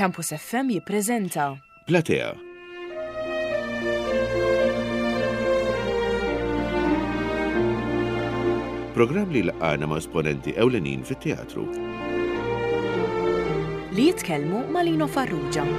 Campus FM jippreżenta. Platea. Programm li laqgħana ma' esponenti ewlenin fit-teatru. Li jitkellmu ma' Lino Farrugia.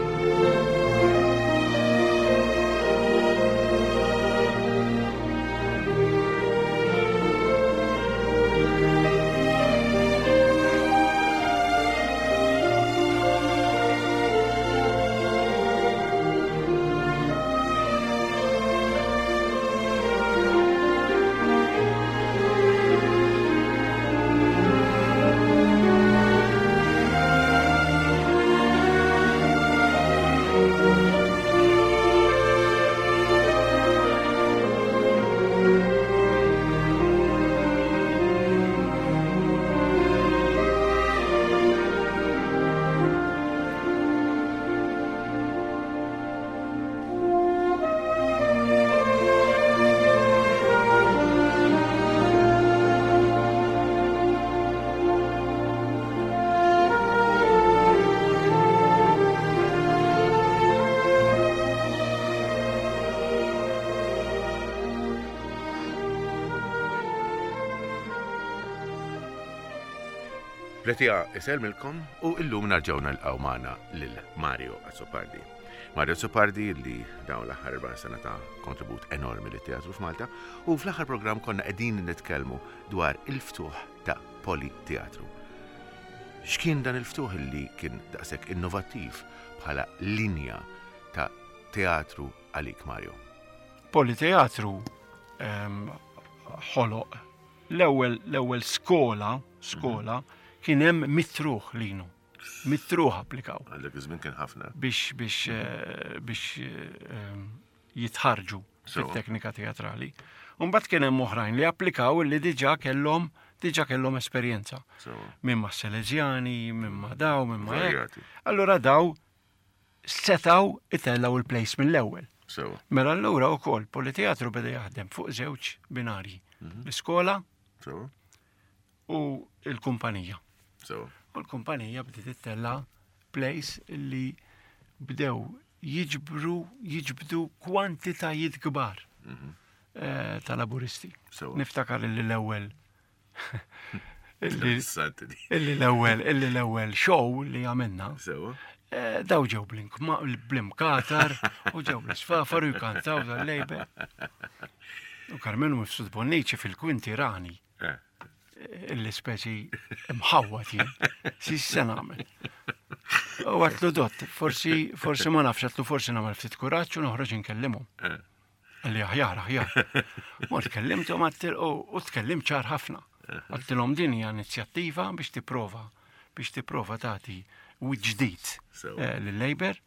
Pletia isellmilkom u illum narġgħu nalqgħu magħna lil Mario Azzopardi. Mario Azzopardi li dawn l-aħħar 40 sena ta' kontribut enormi lit teatru f'Malta u fl-aħħar programm konna qegħdin nitkellmu dwar il-ftuħ ta' Politeatru. X'kien dan il-ftuħ li kien daqshekk innovattiv bħala linja ta' teatru għalik Mario? Politeatru ehm, ħoloq l-ewwel l-ewwel skola skola kien hemm mitruħ linu. Mitruħ applikaw. Għal dak iż-żmien kien ħafna. Biex biex eh, biex eh, jitħarġu fit-teknika teatrali. Mbagħad kien hemm oħrajn li applikaw li diġà kellhom diġà kellhom esperjenza. Minn ma' Salesiani, minn ma' daw, minn ma' Allura daw setgħu itellgħu il-place mill-ewwel. Mela allura wkoll Politeatru beda jaħdem fuq żewġ binarji. Mhm. L-iskola u l-kumpanija. U l-kumpanija bdiet ittella place li bdew jiġbru jiġbdu kwantitajiet kbar mhm. eh, ta' laburisti. Niftakar li l-ewwel Illi l-ewwel illi l-ewwel show li għamilna. Eh, daw ġew bl-imkatar u ġew bl-isfafar u jkantaw dal-lejbe. U Karmenu Mifsud Bonnici fil-kwinti rani. Eh. Illi speċi mħawwat jien. Si se nagħmel. U għatlu dott, forsi forsi ma nafx għatlu forsi nagħmel ftit kuraġġ u noħroġ inkellimhom. Eh. Għalli aħjar, aħjar. Mort kellimthom u tkellimt ċar ħafna. Għattilhom din hija inizjattiva biex tipprova biex tipprova tagħti ġdid eh, lill-Labour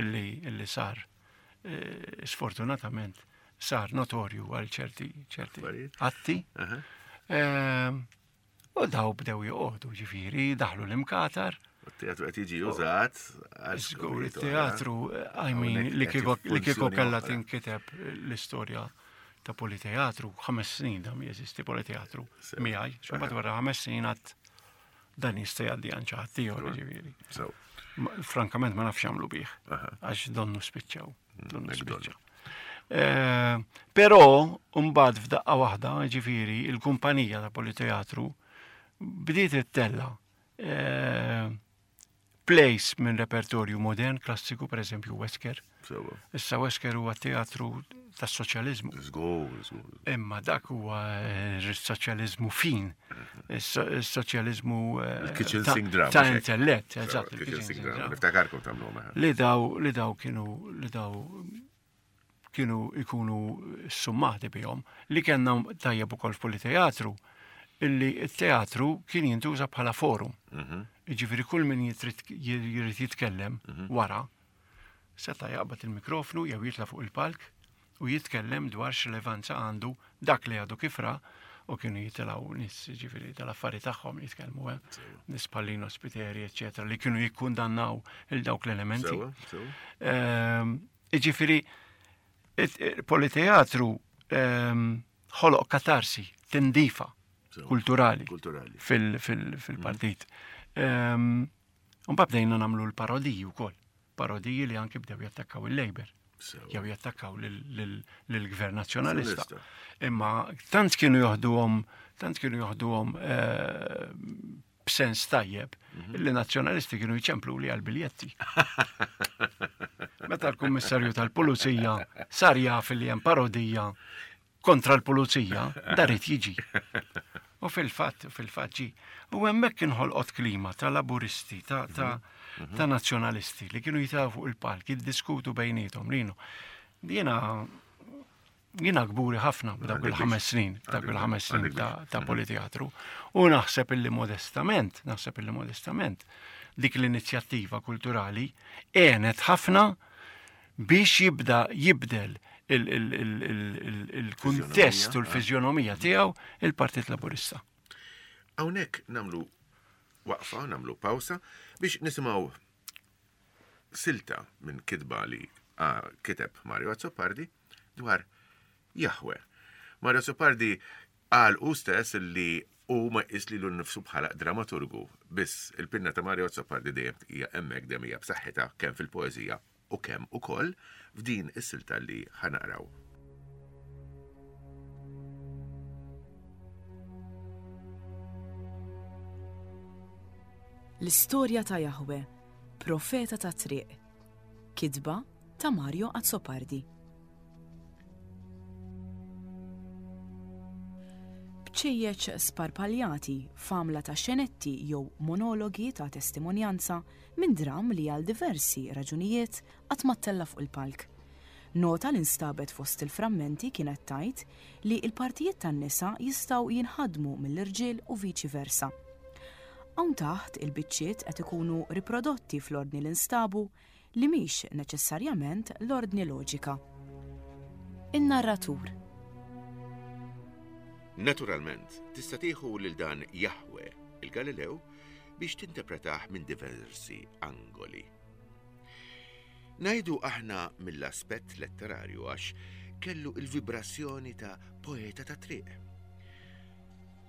illi sar eh, sfortunatament sar notorju għal ċerti ċerti atti. Ehm, U daw bdew joqogħdu ġifieri, daħlu l-imkatar. U t-teatru qed jiġi użat. Żgur, it-teatru, I mean, li kieku kellha tinkiteb l-istorja ta' politeatru, ħames snin dam jeżisti politeatru miegħi, x'mbagħad wara ħames snin għad dan jista' jgħaddi għand xi ħadd ieħor ġifieri. Frankament ma nafx jagħmlu bih, għax donnu spiċċaw. Donnu spiċċaw. Eh, però mbagħad f'daqqa waħda, ġifieri, il-kumpanija ta' Politeatru bdiet ittella eh, plays minn repertorju modern, klassiku, per eżempju Wesker. Issa Wesker huwa teatru tas soċjaliżmu. Imma dak huwa eh, soċjaliżmu fin, soċjaliżmu ta' intellett, eżatt. Niftakarkom tagħmlu Li daw li daw kienu li daw kienu ikunu summati bihom li kellna tajjeb ukoll f'Politeatru illi t-teatru kien jintuża bħala forum. Mhm. Jiġifieri kull min jrid jitkellem mhm. wara seta' jaqbad il-mikrofnu jew jitla' fuq il-palk u jitkellem dwar x'rilevanza għandu dak li għadu kif ra u kienu jitilgħu nies ġifieri tal-affari tagħhom jitkellmu eh? nies bħal Spiteri, eċċetera, li kienu jikkundannaw il dawk l-elementi. Ehm, Ġifieri politeatru ehm, ħoloq katarsi, tindifa kulturali fil-partit. Ehm, un bdejna nagħmlu l-parodiji wkoll. Parodiji li anki bdew jattakkaw il-Labour. Jew jattakkaw lill-Gvern Nazzjonalista. Imma tant kienu joħduhom, tant kienu joħduhom eh, b'sens tajjeb mhm. li nazzjonalisti kienu jċemplu li għal-biljetti. Meta l-kummissarju tal-pulizija sar jaf li hemm parodija kontra l-pulizija, darit jiġi. U fil-fatt, fil-fatt ġi. U hemmhekk inħolqot klima ta' laburisti, ta' ta' mhm. ta' nazzjonalisti li kienu jitaw fuq il-palk, jiddiskutu bejnietom linu. Jiena jiena kburi ħafna b'dawk il-ħames snin, dawk il-ħames snin ta' mhm. politeatru. U naħseb illi modestament, naħseb illi modestament, dik l-inizjattiva kulturali għenet ħafna biex jibda jibdel il-kuntest u l-fiżjonomija tiegħu il-Partit Laburista. Hawnhekk nagħmlu waqfa, nagħmlu pawsa biex nisimgħu silta minn kitba li kiteb Mario Azzopardi dwar Jahwe. Mario Azzopardi qal hu stess li hu ma jqis lilu nnifsu bħala dramaturgu, biss il-pinna ta' Mario Azzopardi dejjem hija hemmhekk, dejjem hija b'saħħitha kemm fil-poeżija u kemm ukoll f'din is-silta li ħa naqraw. L-istorja ta' Jahwe, profeta tat-triq. Kitba ta' Mario Azzopardi. Bċejjeċ sparpaljati f'għamla ta' xenetti jew monologi ta' testimonjanza minn dramm li għal diversi raġunijiet qatt ma ttella' fuq il-palk. Nota li nstabet fost il-frammenti kienet tgħid li l-partijiet tan-nisa jistgħu jinħadmu mill-irġiel u viċi versa. Hawn taħt il-biċċiet qed ikunu riprodotti fl-ordni li nstabu li mhix neċessarjament l-ordni loġika. In-narratur. Naturalment, tista' tieħu lil dan Jahwe, il-Galilew, biex tintepretah minn diversi angoli. Ngħidu aħna mill-aspett letterarju għax kellu il-vibrazzjoni ta' poeta ta' triq.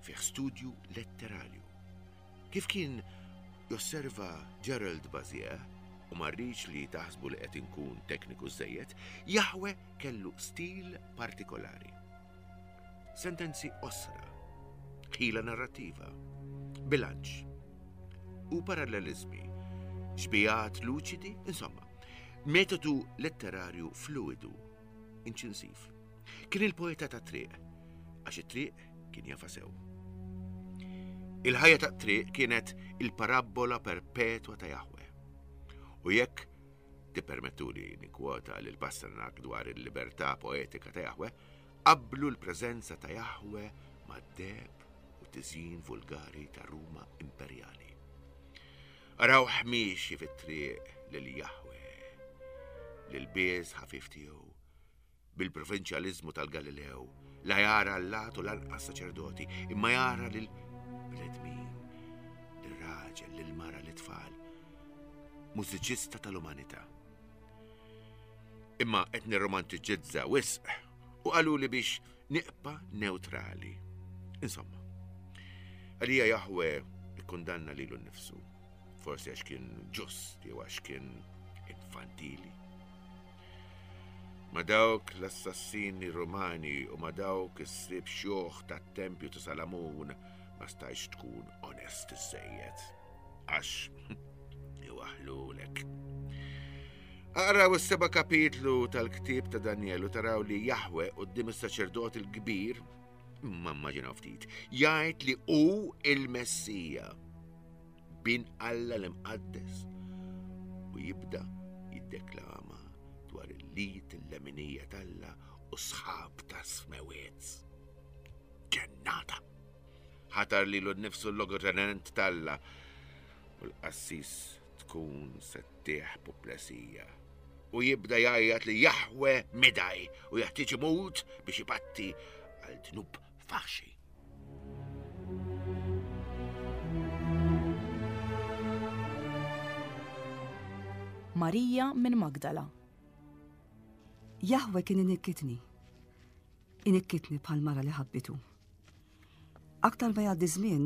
Fih studju letterarju. Kif kien josserva Gerald Bazier, u ma rridx li taħsbu li qed inkun tekniku żejjed, Jahwe kellu stil partikolari. Sentenzi qosra, ħila narrattiva, bilanċ u paralleliżmi, xbijat luċidi, insomma, metodu letterarju fluidu, inċinsiv. Kien il-poeta ta' triq, għax it-triq kien jafa sew. Il-ħajja ta' triq kienet il-parabbola perpetwa ta' Jahwe. U jekk tippermettuli nikkwota lil Pasternak dwar il-libertà poetika ta' Jahwe, Qabblu l-preżenza ta' Jahwe mad-deheb u t-tiżjin vulgari ta' Ruma imperjali. Arawh miexi fit-triq lil Jahwe, l-ilbies ħafif tiegħu, bil-provinċjaliżmu tal-Galilew, la jara allat u lanqas saċerdoti, imma jara lil bnedmin, lir-raġel, lill-mara, lit-tfal, mużiċista tal-umanità. Imma qed nirromantiġizza wisq u qaluli biex niqpa' newtrali. Insomma, għalija Jahwe ikkundanna lilu nnifsu, forsi għax kien ġust jew għax kien infantili. Ma dawk l-assassini Romani u ma dawk is-sib xjuħ tat-tempju ta' Salamun ma stajx tkun onest iżżejjed. Għax iwaħlulek. Aqraw is-seba' kapitlu tal-ktieb ta' Daniel u taraw li Jahwe quddiem is-saċerdot il-kbir, imma immaġinaw ftit, jgħid li hu il-Messija, bin Alla l-imqaddes, u jibda jiddeklama dwar il-lit il-leminija t'Alla u sħab ta' smewiet. Ġennata! Ħatar lilu nnifsu l-logotenent t'Alla u l-qassis tkun se ttih puplesija. U jibda jgħajjat li Jahwe midaj u jeħtieġ imut biex ipatti għal dnub faħxi. Marija minn Magdala. Jahwe kien inikkitni. Inikkitni bħal mara li ħabbitu. Aktar ma jgħaddi żmien,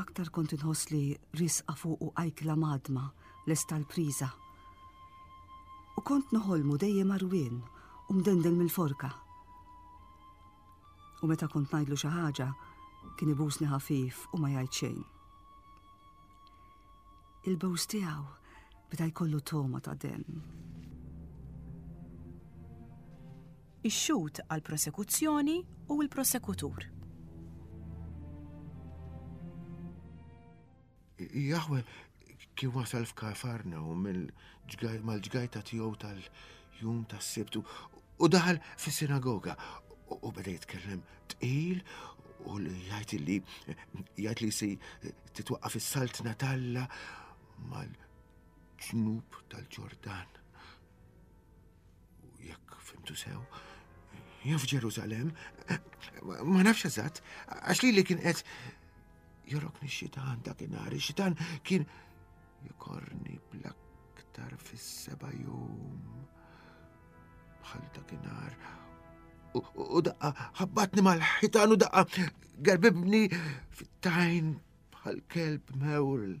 aktar kont inħoss li risqa fuqu ajkla madma lesta l-priża. U kont noħolmu dejjem għarwien u mdendel mill-forka. U meta kont ngħidlu xi ħaġa, kien ibusni ħafif u ma jgħid xejn. Il-bews tiegħu beda jkollu togħma ta' demm. Ix-xhud għall-prosekuzzjoni u l-prosekutur. Jahwe kien wasal f'Kafarnaum mal-ġgajta tiegħu tal-jum tas-Sibt u daħal fis-sinagoga u beda jitkellem tqil u jgħid li jgħid li se titwaqqaf is-saltna t'Alla mal-ġnub tal-Ġordan. U jekk fimtu sew, jew f'Ġerusalemm, ma nafx eżatt, għax li li kien qed jorokni x-xitan dakinhar, ix-xitan kien jikorni bl-aktar fis-seba' jum bħal dakinhar. U daqqa ħabbatni mal-ħitan u daqqa gerbibni fit-tajn bħal kelb mewl.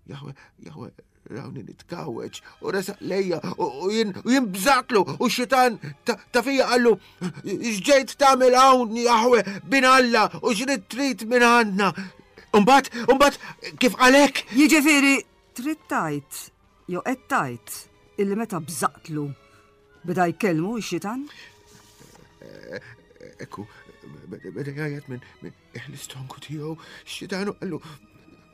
Jahwe, Jahwe, rawni nitkawweġ u resaq lejja u jien u jien bżatlu u xitan ta' fija qallu x'ġejt tagħmel hawn Jahwe bin Alla u x'rid trid minn għandna. Umbagħad, umbagħad kif qalek? Jiġifieri trid tgħid jew qed tgħid illi meta bżaqtlu beda jkellmu x-xitan? Ekku, beda jgħajjat minn L-istonku tiegħu xitanu qallu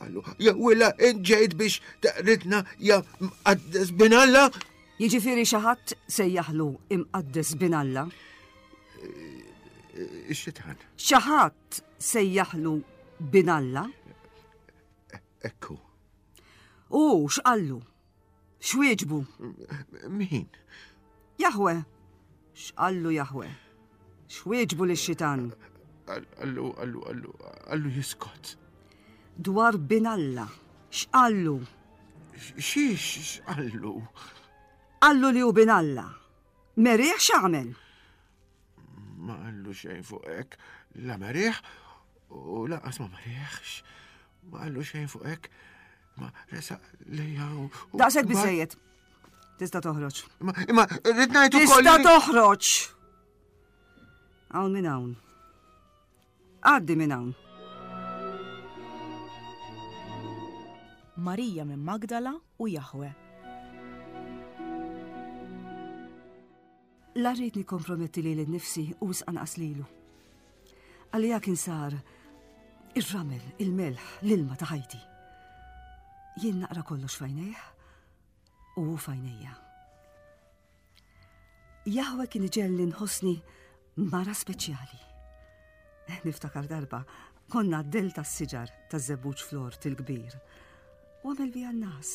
qallu ja willa inġejt biex taqridna ja mqaddes bin Alla. Jiġifieri xi ħadd sejjaħlu imqaddes bin Alla? Ix-xitan. Xi ħadd sejjaħlu bin Alla? Ekku. U x'qallu? X'wieġbu? Min? Jahwe. X'qallu Jahwe? X'wieġbu lix-xitan? Qallu, qallu, qallu, qallu jiskot. Dwar bin Alla, x'qallu? Xiex x'qallu? Qallu li hu bin Alla. Merih x'għamel? Ma qallu xejn fuq hekk, la merih u lanqas ma merihx. Ma qallu xejn fuq hekk. Ma resaq lejja u. Daqshekk biżejjed. Tista' toħroġ. Imma rrid ngħid ukoll. Tista' toħroġ. Hawn minn hawn. Għaddi minn hawn. Marija minn Magdala u Jahwe. La rrid nikkomprometti lili nnifsi u wisq anqas lilu. Għalija kien sar ir-ramel, il-melħ, l-ilma ta' ħajti. Jien naqra kollox f'għajnejh u hu f'għajnejja. Jahwe kien iġelli nħossni mara speċjali. Niftakar darba, konna d-del tas-siġar taż-żebbuġ flort il-kbir. U għamel bija n-nas.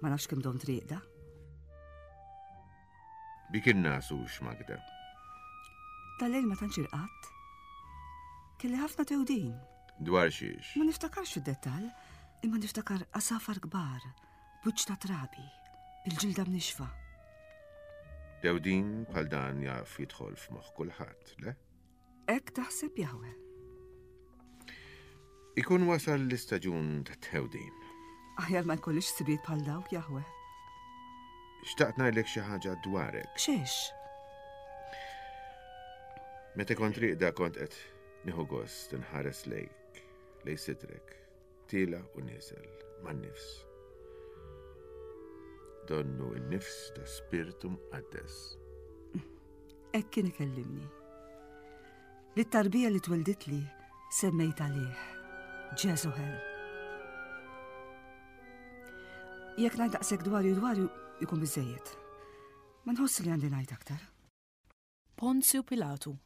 Ma nafx kemm domt rieqda. Bik in-nas hux Magda. Tal-lejl ma tantx irqadt. Kelli ħafna tewdin. Dwar xiex? Ma niftakarx fid-dettall, imma niftakar għasafar kbar, b'wiċċ ta' trabi, bil-ġilda mnixfa. Tewdin bħal dan jaf jidħol f'moħħ kulħadd, le? Hekk taħseb Jahwe. Ikun wasal l-istaġun tat-tħewdin. Aħjar ma jkollix sibiet bħal dawk Jahwe. Xtaqt ngħidlek xi ħaġa dwarek. Xiex? Meta kont riqda kont qed nieħu gost inħares lejk, lej sidrek, Tiela' u nieżel man-nifs. Donnu n-nifs ta' Spirtu Mqaddes. Hekk kien ikellimni. Lit-tarbija li twelditli semmejt għalih, Ġeżuhel. Jekk ngħid daqshekk dwarju dwarju jkun biżejjed. Ma nħoss li għandi ngħid aktar. Ponzju Pilatu.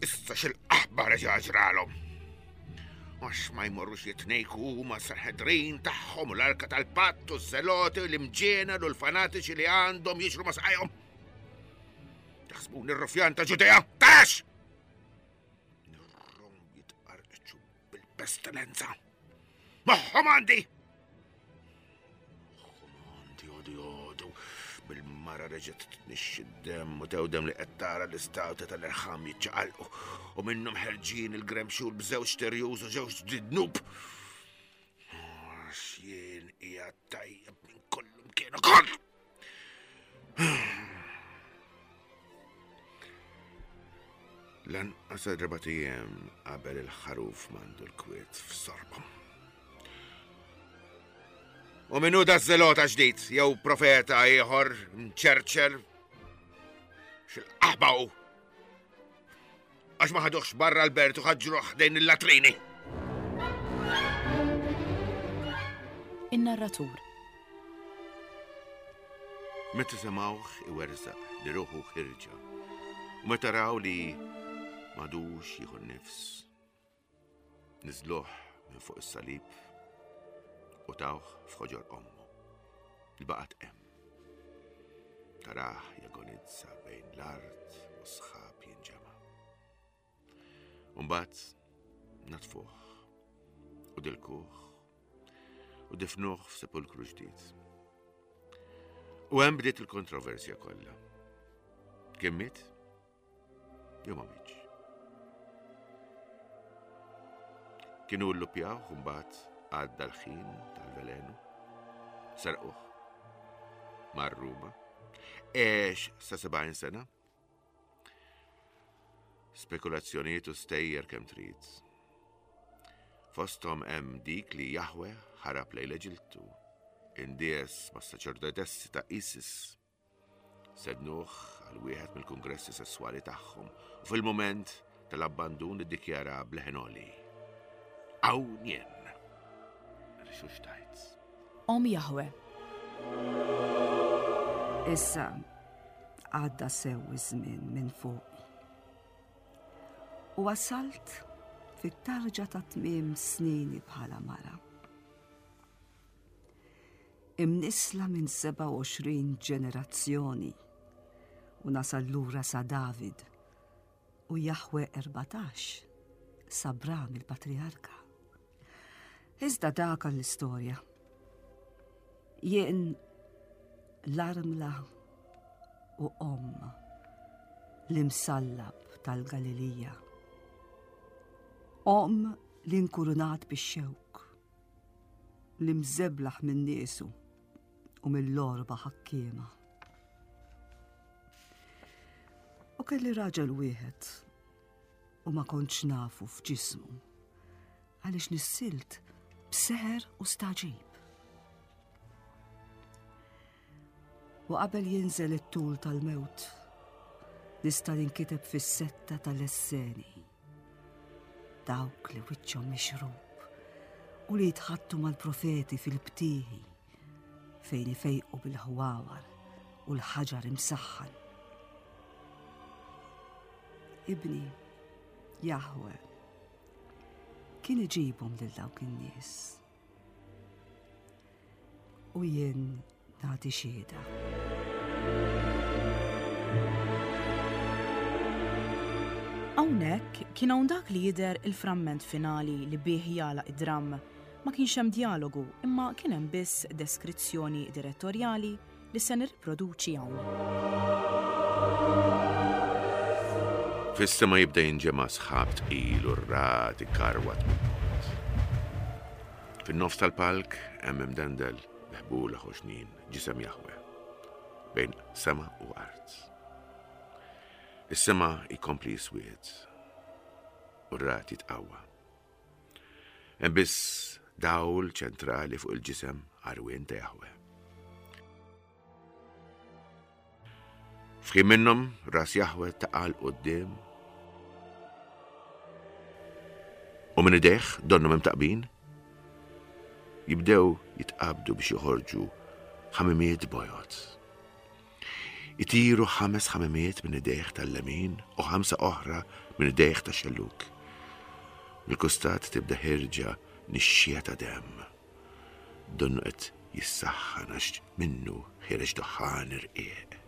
Issa xil-qaħba reġa' ġralhom. Għax ma jmorrux jitnejku ma sanhedrin tagħhom u l-arka tal-patt u z-zeloti u l-imġiena u l-fanatiċi li għandhom jiġru ma saqajhom. Taħsbuni r-rufjan ta' Ġudea? Tax! Nirrom jitqarqċu bil-pestilenza. Moħħom għandi! Moħħom għandi għodu għodu bil-. Il-mara reġgħet tnixxi d-demm u tewdem li qed tara l-istawta tal-irħam jiċċaqalqu u minnhom ħerġin il-gremxul b'żewġ terjuż u żewġ dnub. Għax jien qiegħed tajjeb minn kollu mkien ukoll. Lanqas erba' ijiem qabel il-ħaruf m'għandu l-kwiet f'sorbhom. U minnu da zelota ġdid, jew profeta ieħor mċerċer xil-qaħba hu. Għax ma ħaduħx barra l-bert u ħaġġruh ħdejn il-latrini. In-narratur. Meta semgħuh iwerżaq li ruħu ħirġa u meta raw li m'għadux jieħu n-nifs, niżluh minn fuq is-salib u tawh f'ħoġor ommu li baqgħet hemm. Tarah jagonizza bejn l-art u sħab jinġema'. Umbagħad natfuh u dilkuh u difnuh f'sepulkru ġdid. U hemm bdiet il-kontroversja kollha. Kien miet? Jew ma mietx? Kienu llupjawh u mbagħad għadda l-ħin tal-velenu. Serquh. Mar Ruma. Għex sa 70 sena. Spekulazzjonijiet u stejjer kemm trid. Fosthom hemm dik li Jahwe ħarab lejn l-Eġiltu, indies mas-saċerdotessi ta' Isis. Sednuh għal wieħed mill-kungressi sesswali tagħhom u fil-mument tal-abbandun iddikjara b'leħen għoli. Hawn jien! Rixuxtajt. Omm Jahwe. Issa għadda sew iż-żmien minn fuqi. U wasalt fit-tarġa ta' tmiem snini bħala mara. Imnissla minn 27 ġenerazzjoni u nasal lura sa David u Jahwe 14 sa Bram il-patriarka. Iżda dak għall-istorja. Jien l-armla u omm l-imsallab tal-Galilija. Omm li nkurunat bix-xewk, li mżeblaħ minn niesu u mill-orba ħakkiema. U kelli raġel wieħed u ma kontx nafu f'ġismu għaliex nissilt b'seħer u staġib. U qabel jinżel it-tul tal-mewt, nista' ninkiteb fis-setta tal-esseni. Dawk li wiċċhom mixrub u li jitħattu mal-profeti fil-btieħi fejn ifejqu bil-ħwawar u l-ħaġar imsaħħan. Ibni, Jahwe, kien iġibhom lil dawk in-nies. U jien nagħti xhieda. Hawnhekk kien hawn dak li jidher il-framment finali li bih jagħlaq id-dramm. Ma kienx hemm djalogu imma kien hemm biss deskrizzjoni direttorjali li se nirriproduċi hawn. Fis-sema jibda jinġema' sħab tqil u r-ragħad ikarwat mill-bogħod. Fin-nofs tal-palk hemm imdendel bi ħbula ħoxnin ġisem Jahwe, bejn sema u art. Is-sema jkompli jiswied u r-ragħad jitqawwa. Hemm biss dawl ċentrali fuq il-ġisem għarwien ta' Jahwe. F'ħin minnhom ras Jahwe taqa' 'l quddiem u minn idejh donnhom imtaqbin jibdew jitqabdu biex joħorġu ħamimiet bojod. Itiru ħames ħamimiet minn idejh tal-lemin u ħamsa oħra minn idejh tax-xellug. Mill-kustat tibda ħirġa nixxija ta' demm. Donnu qed jissaħħan għax minnu ħiereġ duħħan irqiq.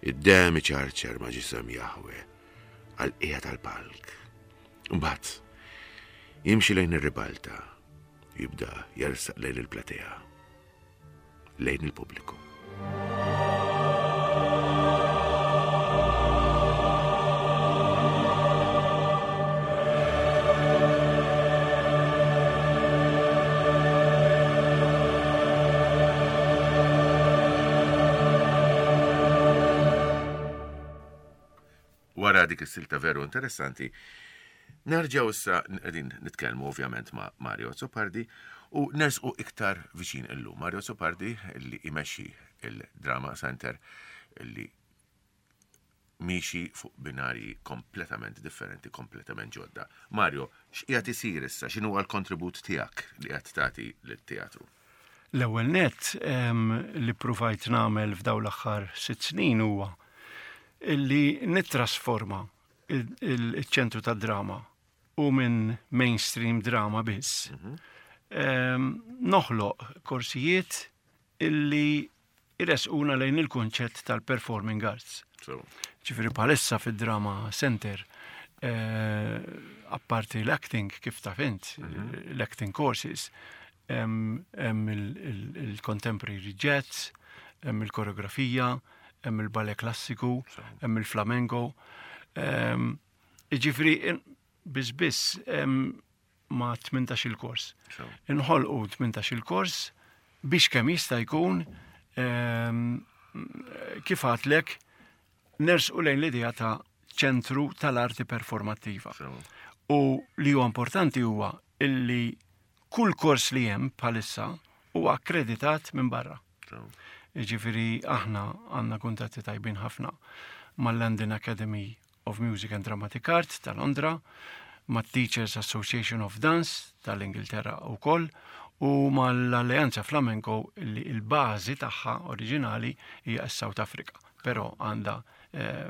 Id-demm iċarċar ma' ġisem Jahwe għall-qiegħa tal-palk. Imbagħad jimxi lejn ir-ribalta. Jibda jersaq lejn il-platea, lejn il-pubbliku. Wara dik is-silta veru interessanti, nerġgħu issa qegħdin nitkellmu ovvjament ma' Mario Azzopardi u nersqu iktar viċin illum. Mario Azzopardi li jmexxi il-Drama Center li miexi fuq binarji kompletament differenti, kompletament ġodda. Mario, x'qiegħed isir issa? X'inhu l-kontribut tiegħek li qed tagħti lit-teatru? L-ewwel nett li ppruvajt nagħmel f'dawn l-aħħar sitt snin huwa illi nittrasforma il-ċentru tad-drama u minn mainstream drama biss. Mhm. Noħloq korsijiet illi jressquna lejn il-kunċett tal-performing arts. Ġifieri bħalissa fid-drama center eh, apparti l-acting kif taf int, mhm. l-acting courses, hemm il-contemporary jazz, hemm il-koreografija, hemm il-ballet klassiku, hemm il-flamenco. Ehm, ġifieri biss biss ma' 18 il-kors. Inħolqu 18 il-kors biex kemm jista' jkun ehm, kif għatlek nersqu lejn l-idea ta' ċentru tal-arti performattiva. U li huwa importanti huwa illi kull kors li hemm bħalissa huwa akkreditat minn barra. Ġifieri aħna għandna kuntatti tajbin ħafna mal-London Academy of Music and Dramatic Art ta' Londra, mat-Teachers Association of Dance tal-Ingilterra wkoll u mal-Alleanza Flamenco li l-bażi tagħha oriġinali hija s-South Africa, però għandha eh,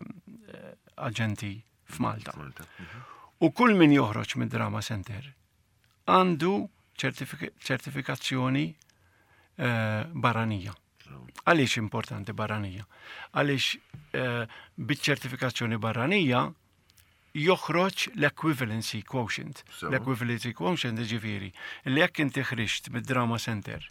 aġenti f'Malta. Mhm. U kull min joħroġ mid-Drama Center għandu ċertifikazzjoni eh, barranija. Għaliex importanti barranija? Għaliex eh, biċ-ċertifikazzjoni barranija joħroġ l-equivalency quotient. L-equivalency quotient ġifieri li jekk inti ħriġt mid-Drama Center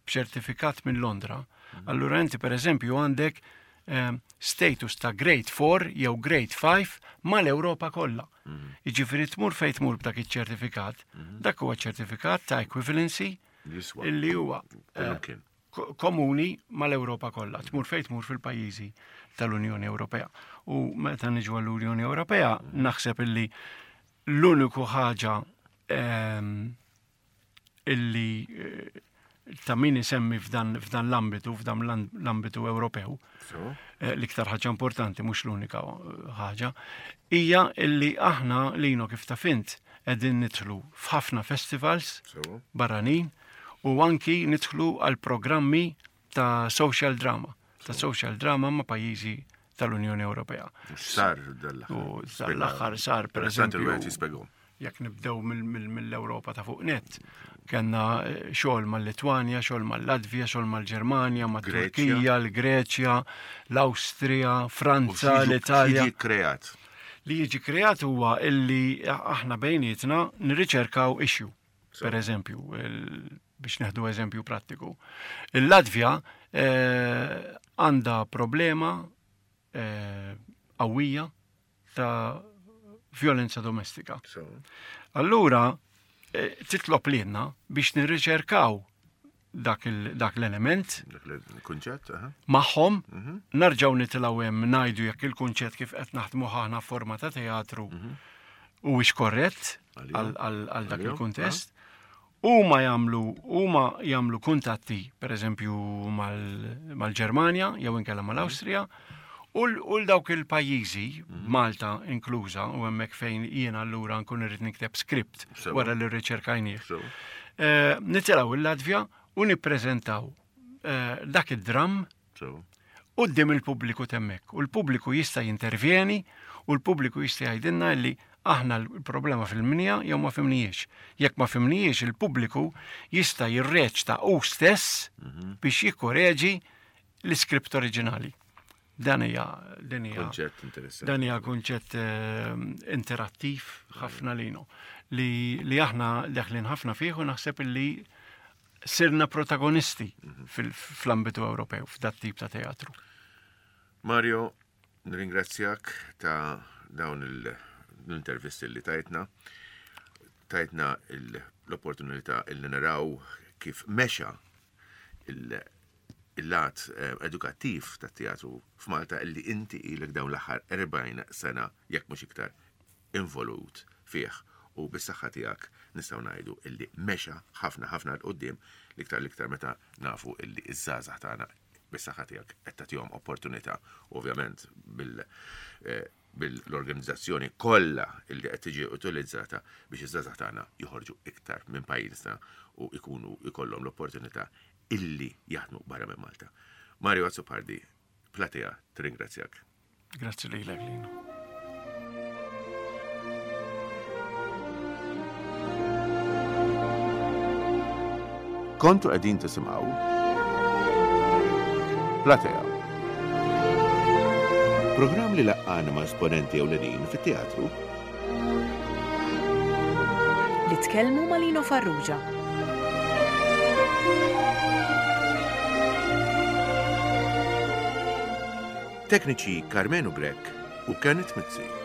b'ċertifikat minn Londra, mhm. allura inti per eżempju għandek eh, status ta' grade 4 jew grade 5 mal-Ewropa kollha. Mhm. Jiġifieri tmur fejn tmur b'dak iċ-ċertifikat, mhm. dak huwa ċertifikat ta' equivalency illi huwa eh, komuni mal-Ewropa kollha, tmur fejn tmur fil-pajjiżi tal-Unjoni Ewropea. U meta niġu għall-Unjoni Ewropea, naħseb illi l-uniku ħaġa ehm, illi eh, ta' min isemmi f'dan l-ambitu, f'dan l-ambitu Ewropew, eh, l-iktar ħaġa importanti, mhux l-unika ħaġa, hija illi aħna lino kif ta' fint qegħdin nidħlu f'ħafna festivals barranin u anki nidħlu għal programmi ta' social drama, ta' social drama ma' pajjiżi tal-Unjoni Ewropea. Sar dal-aħħar. Dal-aħħar sar, per eżempju. Jekk nibdew mill-Ewropa ta' fuq net, kellna eh, xogħol mal-Litwanja, xogħol mal-Latvja, xogħol mal-Ġermanja, mat-Turkija, l-Greċja, l-Awstrija, Franza, l-Italja. kreat. Li jiġi kreat huwa illi aħna bejnietna nirriċerkaw issue. Per eżempju, biex neħdu eżempju prattiku. Il-Latvja eh, għandha problema eh, qawwija ta' violenza domestika. Allura, eh, titlob lilna biex nirriċerkaw dak l-element. Dak il-kunċett, Magħhom, mhm. narġaw nitilgħu hemm ngħidu jekk il-kunċett kif qed naħdmu aħna forma ta' teatru mhm. huwiex korrett għal dak il-kuntest. Huma jagħmlu huma jagħmlu kuntatti, pereżempju mal-Ġermanja jew inkella mal-Awstrija, u l dawk il-pajjiżi, mhm. Malta inkluża, u hemmhekk fejn jiena allura nkun irrid nikteb script wara li rriċerkajnieh. Eh, nitilgħu il-Latvja u nippreżentaw eh, dak id-dramm quddiem il-pubbliku temmek. U l-pubbliku jista' jintervjeni u l-pubbliku jista' jgħidilna li aħna l-problema fil-mnija jew ma fimnijiex. Jekk ma fimnijiex il-pubbliku jista' jirreċta u stess mhm. biex jikkoreġi l-iskript oriġinali. Dan hija din hija Kunċett interessanti. Dan hija kunċett eh, interattiv ħafna lino li, li aħna deħlin ħafna fih u naħseb li sirna protagonisti mhm. fl-ambitu Ewropew f'dat tip ta' teatru. Mario, nringrazzjak ta' dawn l-intervisti li tajtna. Tajtna l-opportunità li naraw kif mexa il-lat eh, edukattiv tat-teatru f'Malta illi inti ilek dawn l-aħħar 40 sena jekk mhux iktar involut fih u bis-saħħa tiegħek nistgħu ngħidu illi mexa ħafna ħafna 'l quddiem l-iktar l-iktar meta nafu illi iż-żgħażagħ tagħna bis-saħħa tiegħek qed tagħtihom opportunità ovvjament bil eh, bil-organizzazzjoni kollha illi qed tiġi utilizzata biex iż-żgħażagħ tagħna joħorġu iktar minn pajjiżna u jkunu jkollhom l-opportunità illi jaħdmu barra minn Malta. Mario Azzopardi, Platea, tirringrazzjak. Grazzi lilek Lino. Kontu qegħdin tisimgħu Platea. Programm li laqqana ma' esponenti ewlenin fit-teatru li tkellmu ma' Lino Farrugia. Tekniċi Karmenu Grech u Kenneth Mizzi.